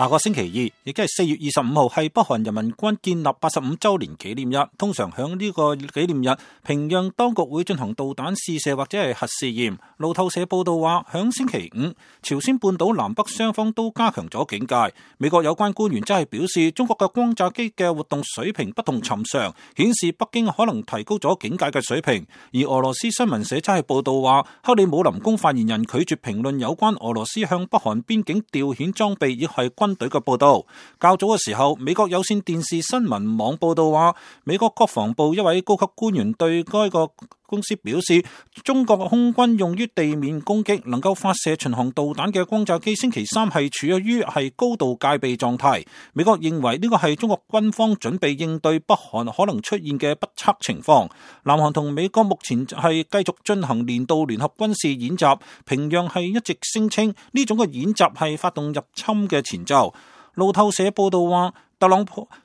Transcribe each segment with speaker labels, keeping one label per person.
Speaker 1: 下個星期二，亦即係4月25號，係北韓人民軍建立85週年紀念日。通常響呢個紀念日，平壤當局會進行導彈試射或者係核試驗。路透社報道話，響星期五，朝鮮半島南北雙方都加強咗警戒。美國有關官員則係表示，中國嘅轟炸機嘅活動水平不同尋常，顯示北京可能提高咗警戒嘅水平。而俄羅斯新聞社則係報道話，克里姆林宮發言人拒絕評論有關俄羅斯向北韓邊境調遣裝備亦係軍隊嘅報道。較早嘅時候，美國有線電視新聞網報道話，美國國防部一位高級官員對該個公司表示，中國空軍用於地面攻擊能夠發射巡航導彈嘅轟炸機星期三係處於高度戒備狀態。美國認為呢個係中國軍方準備應對北韓可能出現嘅不測情況。南韓同美國目前係繼續進行年度聯合軍事演習，平壤係一直聲稱呢種嘅演習係發動入侵嘅前奏。路透社報道話，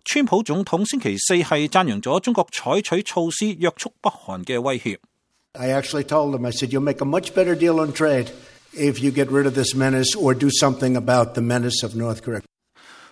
Speaker 1: 川普總統星期四係讚揚咗中國採取措施約束北韓嘅威脅。
Speaker 2: I actually told him, I said, you'll make a much better deal on trade if you get rid of this menace or do something about the menace of North Korea.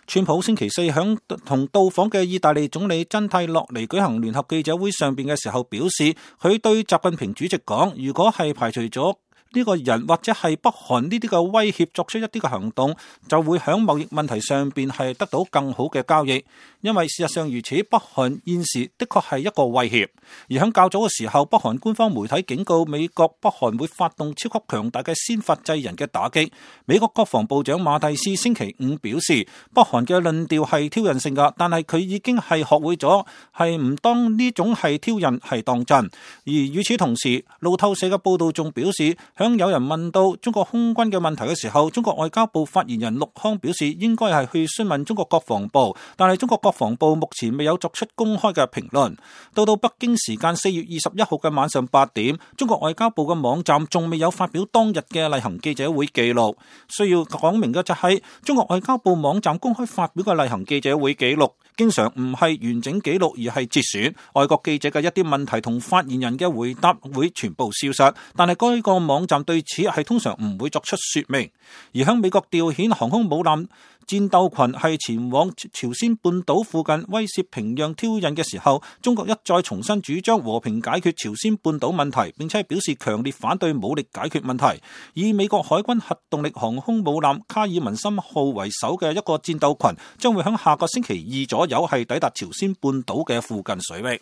Speaker 1: 川普星期四響同到訪嘅意大利總理真蒂洛尼舉行聯合記者會上邊嘅時候表示，佢對習近平主席講，如果係排除咗呢個人或者係北韓呢啲嘅威脅作出一啲嘅行動，就會喺貿易問題上邊係得到更好嘅交易。因為事實上如此，北韓現時的確係一個威脅。而喺較早嘅時候，北韓官方媒體警告美國北韓會發動超級強大嘅先發制人嘅打擊。美國國防部長馬蒂斯星期五表示，北韓嘅論調係挑釁性㗎，但係佢已經係學會咗係唔當呢種係挑釁係當真。而與此同時，路透社嘅報道仲表示，當有人問到中國空軍嘅問題嘅時候，中國外交部發言人陸康表示應該係去詢問中國國防部，但係中國國防部目前未有作出公開嘅評論。到北京時間4月21號嘅晚上8點，中國外交部嘅網站仲未有發表當日嘅例行記者會記錄。需要講明嘅就係，中國外交部網站公開發表嘅例行記者會記錄，經常唔係完整記錄而係節選，外國記者嘅一啲問題同發言人嘅回答會全部消失，但係該個網站對此係通常唔會作出說明。而喺美國調遣航空母艦戰鬥群係前往朝鮮半島附近威懾平壤挑釁嘅時候，中國一再重新主張和平解決朝鮮半島問題，並且表示強烈反對武力解決問題。以美國海軍核動力航空母艦卡爾文森號為首嘅一個戰鬥群將會喺下個星期二左右係抵達朝鮮半島嘅附近水域。